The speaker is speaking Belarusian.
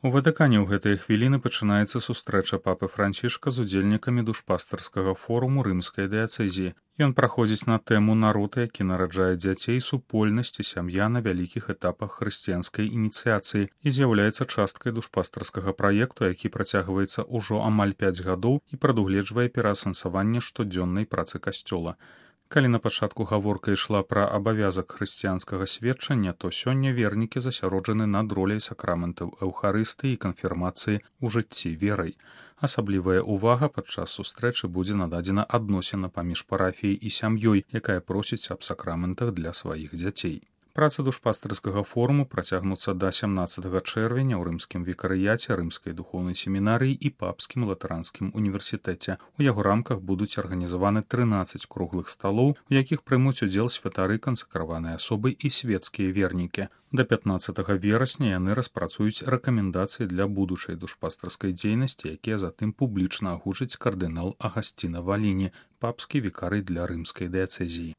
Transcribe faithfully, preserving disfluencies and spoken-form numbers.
У Ватыкане ў гэтыя хвіліны пачынаецца сустрэча папы Францішка з удзельнікамі душпастарскага форуму рымскай дыяцэзіі. Ён праходзіць на тэму народ, які нараджае дзяцей, супольнасць і сям'я на вялікіх этапах хрысціянскай ініцыяцыі і з'яўляецца часткай душпастарскага праекту, які працягваецца ўжо амаль пяць гадоў і прадугледжвае пераасэнсаванне штодзённай працы касцёла. Калі на пачатку гаворка ішла пра абавязак хрысціянскага сведчання, то сёння вернікі засяроджаны над роляй сакраментаў эўхарыстыі і канфірмацыі ў жыцці верай. Асаблівая ўвага падчас сустрэчы будзе нададзена адносінам паміж парафіяй і сям'ёй, якая просіць аб сакраментах для сваіх дзяцей. Працы душпастарскага форуму працягнуцца да сямнаццатага чэрвеня ў рымскім викарыяце, рымскай духоўнай семінарыі і папскім латаранскім універсітэце. У яго рамках будуць арганізаваны трынаццаць круглых сталоў, у якіх прымуць удзел святары, кансакраваныя асобы і свецкія вернікі. Да пятнаццатага верасня яны распрацуюць рэкамендацыі для будучай душпастарскай дзейнасці, якія затым публічна агучыць кардынал Агасціна Валіні, папскі вікарый для рымскай дыяцэзіі.